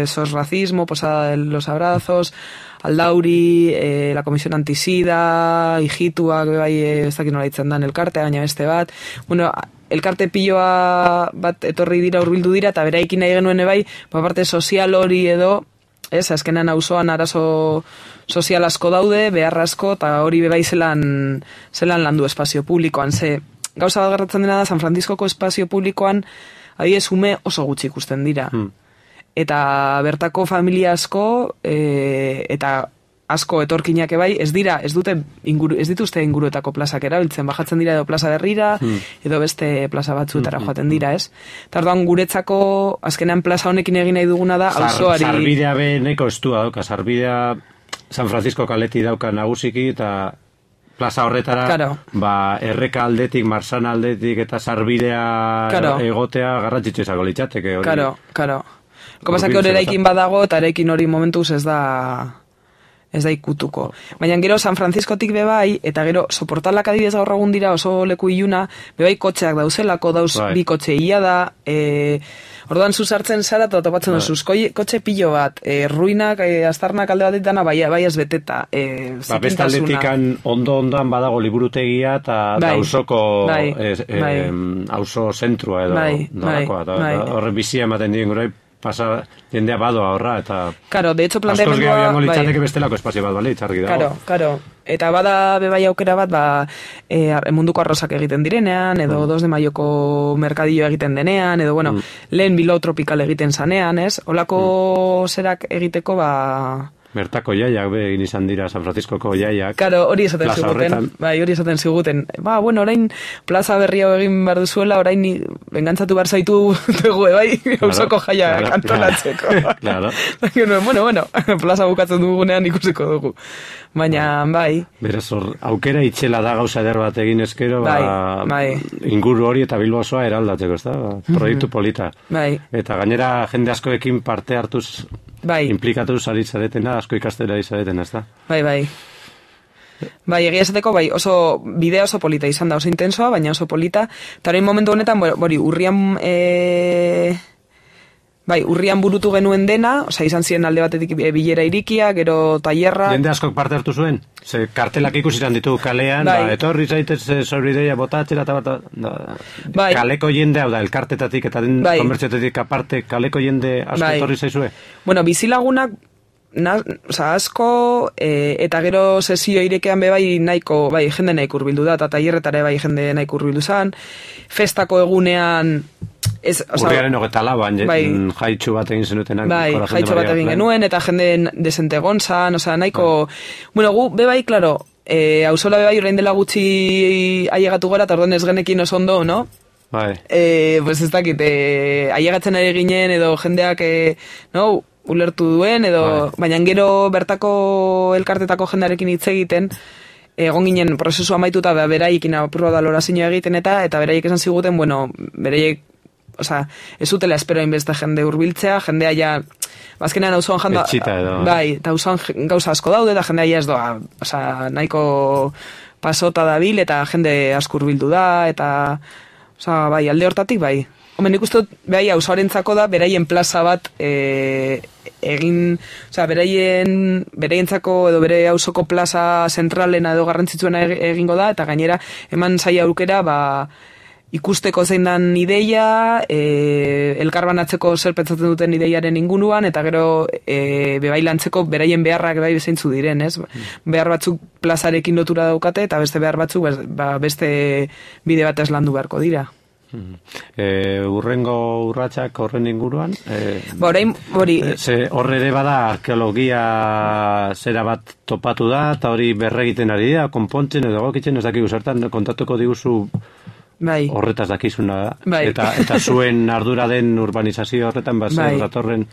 sos racismo, posada de los abrazos, Aldauri, la Comisión Antisida, Ijituak, bai, ez dakit nola ditzen dan elkartea, baina beste bat. Bueno, elkarte piloa bat etorri dira, hurbildu dira, eta beraikin nahi genuen bai, parte sozial hori edo, ez, azkenan auzoan arazo sozial asko daude, behar asko, eta hori bebai zelan landu espazio publikoan. Ze, gauza bat gertatzen dena da, San Franciscoko espazio publikoan, adibidez, ume oso gutxi ikusten dira. Eta bertako familia asko, eta asko etorkinak ebai, ez dituzte inguruetako plazak erabiltzen, bajatzen dira edo plaza berrira, edo beste plaza batzuetara joaten dira, ez? Eta orduan guretzako, azkenean plaza honekin egin nahi duguna da, auzoari... Sarbidea neko estua dauka, sarbidea San Francisco kaleti dauka nagusiki, eta plaza horretara, erreka aldetik, marsana aldetik, eta sarbidea egotea garrantzitsu izango litzateke. Karo. Kopazak hori eraikin badago, eta eraikin hori momentuz ez da ikutuko. Baina gero San Franciscotik bebai, eta gero soportalak adibidez gaur egun dira oso leku iluna, bebai kotxeak dauzelako, bi kotxe ia da, orduan zuzartzen zara, eta topatzen duzuz, kotxe pilo bat, ruinak, aztarnak alde bat dana, bai ez beteta. Bestaldetik ondo-ondoan badago liburutegia, eta hausoko hauso zentrua edo, horre bizia ematen dien gure, pasa jendea badoa horra, eta... Karo, de hecho planteamendua... Askoz gehiago litzateke bestelako espazio bat balitz, argi dago. Karo. Eta bada bebai aukera bat, munduko arrozak egiten direnean, edo 2 de Maioko merkadillo egiten denean, edo, bueno, lehen Bilbao Tropical egiten zanean, ez? Olako zerak egiteko, Bertako jaiak, egin izan dira San Franciscoko jaiak. Karo, hori esaten ziguten. Bueno, orain plaza berri hau egin behar duzuela, orain bengantzatu behar zaitu dugu, hausoko jaia antolatzeko. Claro. Bueno, plaza bukatzen dugunean ikusiko dugu. Baina, Beraz, aukera itxela da gauza eder bat egin eskero, inguru hori eta Bilbo osoa eraldatzeko, ez da? Proiektu polita. Eta gainera jende askoekin parte hartuz implikatuz ari zaretena, asko ikastera izareten, ez da? Bai, egia esateko, oso bidea oso polita izan da, oso intensoa, baina oso polita, eta orain momentu honetan, urrian burutu genuen dena, izan ziren alde batetik bilera irikia, gero tailerra... Jende askok parte hartu zuen? Ze kartelak ikusitan ditu kalean, etorri zaitez sorbideia botatzera, kaleko jende, hau da, elkartetatik eta den komertziotetik aparte, kaleko jende asko etorri zaizue? Bueno, bizilagunak, asko, eta gero sesio irekean bebai nahiko, jende nahiko urbildu da, eta tailerretare jende nahiko urbildu zan, festako egunean... Urriaren 24, jaitxu bat egin zenuten. Jaitxu bat egin genuen, eta jende desente gontzan, nahiko... Bueno, gu, bebai, klaro, hauzola bebai orain dela gutxi ailegatu gara, eta orduan ez genekin oso ondo, no? Pues ez dakit, ailegatzen ere ginen, edo jendeak, ulertu duen, edo... Baina gero bertako elkartetako jendearekin hitz egiten, egon ginen prozesu amaituta beraikin apurra da lorazioa egiten, eta beraiek esan ziguten, bueno, beraiek ez zutela espero inbeste jende hurbiltzea, jendea ja, bazkenean auzoan janda... Etxita edo... Eta auzoan gauza asko daude, eta jendea ja ez doa, nahiko pasota dabil, eta jende asko hurbildu da, eta... alde hortatik, Homen, nik uste dut, auzoarentzako da, beraien plaza bat egin... beraientzako edo bere auzoko plaza zentralena edo garrantzitsuena egingo da, eta gainera, eman zaila aukera, ikusteko zein dan ideia, elkarbanatzeko zer pentsatzen duten ideiaren inguruan, eta gero bebailantzeko beraien beharrak bezaintzu diren, ez? Behar batzuk plazarekin lotura daukate, eta beste behar batzuk beste bide batez landu beharko dira. Urrengo urratsak horren inguruan? Horre ere bada arkeologia zera bat topatu da, eta hori berregiten ari da, konpontzen edo gokitzen, ez dakigu zertan kontatuko diguzu horretaz dakizuna da. Eta zuen ardura den urbanizazio horretan, zer datorren...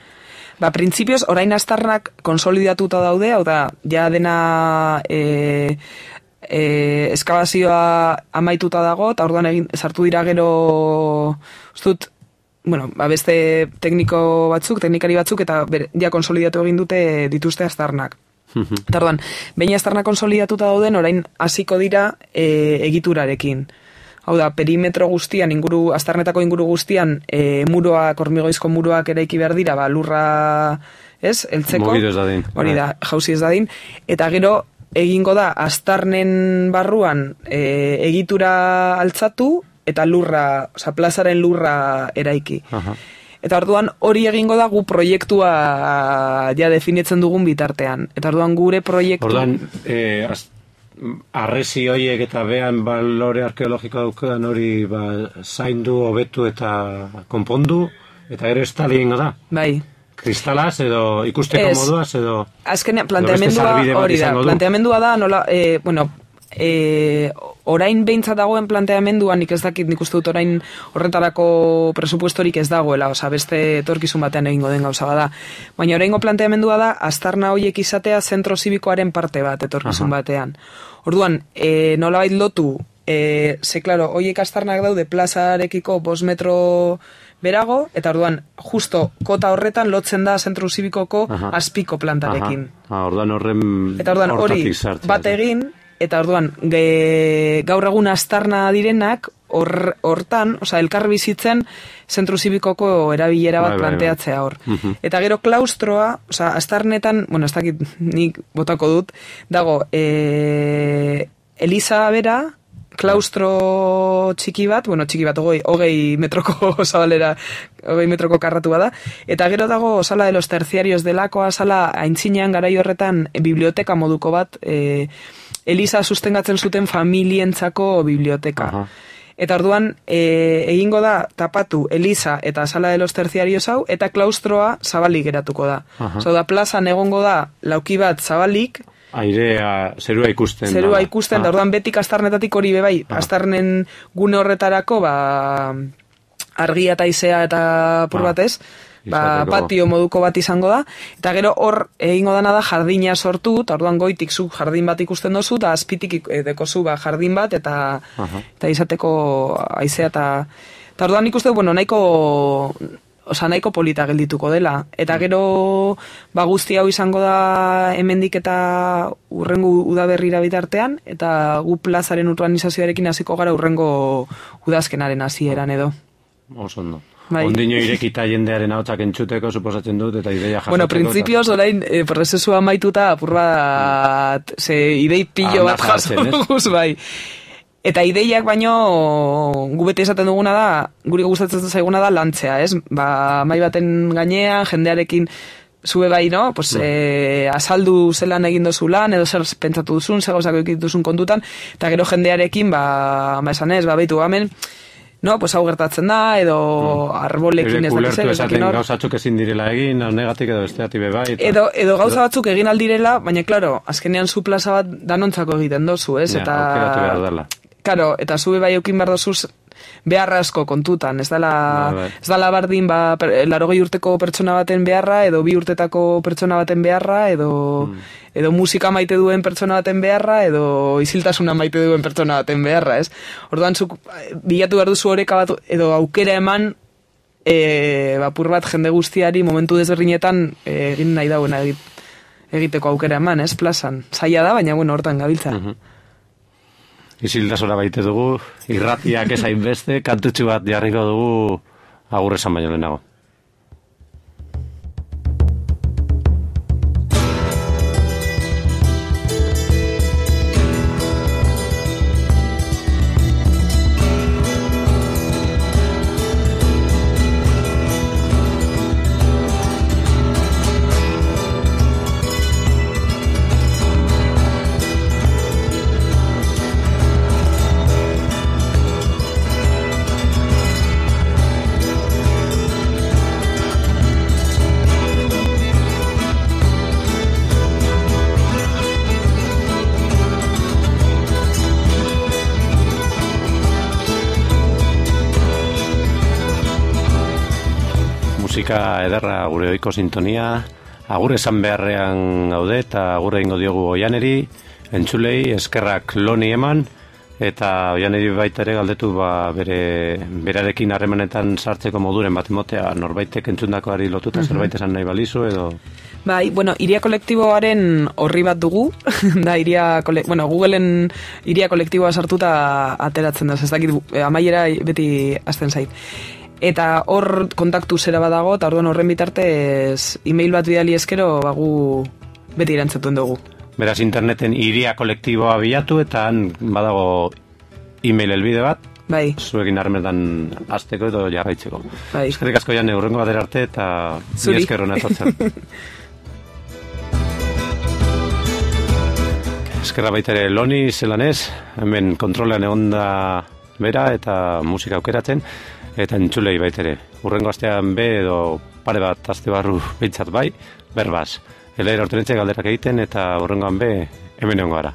Printzipioz, orain aztarnak konsolidatuta daude, hau da, ja dena eskabazioa amaituta dago, eta orduan sartu dira gero, ustut, beste teknikari batzuk, eta ja konsolidatu egin dute dituzte aztarnak. Eta orduan, behin aztarnak konsolidatuta dauden, orain hasiko dira egiturarekin. Hau da, perimetro guztian, aztarnetako inguru guztian, muroak, hormigoizko muroak eraiki behar dira, lurra, ez, eltzeko. Mogido ez dadin. Hori da, jauzi ez dadin. Eta gero, egingo da, aztarnen barruan egitura altzatu, eta lurra, plazaren lurra eraiki. Eta orduan hori egingo da gu proiektua ja definitzen dugun bitartean. Eta orduan gure proiektu... Orduan, arresi horiek eta behan balore arkeologiko daukean hori zaindu, hobetu eta konpondu, eta gero estali egingo da. Bai. Kristalaz edo ikusteko moduaz edo... Azkenean, planteamendua hori da. Planteamendua da, nola, orain behintzat dagoen planteamenduan, nik ez dakit, nik uste dut orain horretarako presupuestorik ez dagoela, beste etorkizun batean egingo den gauza bada. Baina oraingo planteamendua da, aztarna horiek izatea zentro zibikoaren parte bat etorkizun batean. Orduan, nolabait lotu, ze, klaro, horiek aztarnak daude plazarekiko 5 metro berago, eta orduan, justo kota horretan lotzen da zentro zibikoko azpiko plantarekin. Orduan eta orduan hori bat egin, eta orduan, gaur egun aztarna direnak, hortan, elkar bizitzen, zentru zibikoko erabilera bat planteatzea hor. Eta gero klaustroa, aztarnetan, ez dakit nik botako dut, dago, Eliza bera, klaustro txiki bat, hogei metroko zabalera, 20 metroko karratu bada, eta gero dago sala de los terciarios delakoa, sala aintzinean garai horretan biblioteka moduko bat, Eliza sustengatzen zuten familientzako biblioteka. Eta orduan, egingo da tapatu Eliza eta sala de los terciarios hau, eta klaustroa zabalik geratuko da. Da, plazan egongo da lauki bat zabalik, airea, zerua ikusten. Zerua ikusten, da orduan betik aztarnetatik hori bebai, aztarnen gune horretarako, argia eta izea eta apur batez, patio moduko bat izango da, eta gero hor egingo dana da jardina sortu, eta orduan goitik zu jardin bat ikusten dozu, eta azpitik dekozu jardin bat, eta izateko aizea, eta orduan ikusten, nahiko polita geldituko dela. Eta gero, guzti hau izango da hemendik eta urrengo udaberrira bitartean, eta gu plazaren urbanizazioarekin hasiko gara urrengo udazkenaren hasieran edo. Oso ondo. Ondino irekita jendearen ahotsak entzuteko, suposatzen dut, eta ideia jasotzeko. Bueno, printzipioz, orain, prozesua maituta, apur bat, idei pillo bat jasotuz, bai. Eta ideiak baino, gu beti esaten duguna da, guri gustatzen zaiguna da lantzea, ez? Mai baten gainean, jendearekin zube bai, no? Azaldu zelan egin dozu lan, edo zer pentsatu duzun, zer gauzako egin duzun kontutan, eta gero jendearekin, esan ez, behitu gamen, no, hau gertatzen da, edo arbolekin ez dakizen. Ulertu esaten gauzatzuk ezin direla egin, negatik edo besteati bebai. Edo gauza batzuk egin aldirela, baina, klaro, azkenean zu plaza bat danontzako egiten dozu, ez? Aukeratu behar dela. Karo, eta zube bai eukin behar dozuz beharra asko kontutan, ez dala bardin 80 urteko pertsona baten beharra, edo 2 urtetako pertsona baten beharra, edo musika maite duen pertsona baten beharra, edo isiltasuna maite duen pertsona baten beharra, ez? Orduan, bilatu behar duzu oreka bat, edo aukera eman, apur bat jende guztiari momentu desberdinetan egin nahi dagoena egiteko aukera eman, ez, plazan. Zaila da, baina, hortan gabiltza. Isiltasuna baite dugu, irratiak ez hainbeste, kantutxu bat jarriko dugu agur esan baino lehenago. Musika ederra gure ohiko sintonia, agur esan beharrean gaude eta agur egingo diogu Oianeri, entzulei eskerrak Loni eman, eta oianeri baita ere galdetu berarekin harremanetan sartzeko moduren bat emotea, norbaitek entzundakoari lotuta zerbait esan nahi balizu edo... Bai, bueno, iria kolektiboaren horri bat dugu, da Googleen iria kolektiboa sartuta ateratzen da, ez dakit, amaiera beti hasten zait. Eta hor kontaktu zera badago, eta orduan horren bitartez email bat bidali eskero gu beti erantzatuen dugu. Beraz, interneten iria kolektiboa bilatu eta han badago email helbide bat, bai. Zuekin harremetan hasteko edo jarraitzeko. Bai. Eskerrik asko Jane, hurrengo batera arte eta Zuri. Ni esker hona etortzen. Eskerra baita ere Loni zelanez, hemen kontrolean egon da bera eta musika aukeratzen, eta entzulei baita ere. Hurrengo astean edo pare bat aste barru behintzat bai, berbaz. Elaira Hortenetxe galderak egiten eta hurrengoan hemen egongo gara.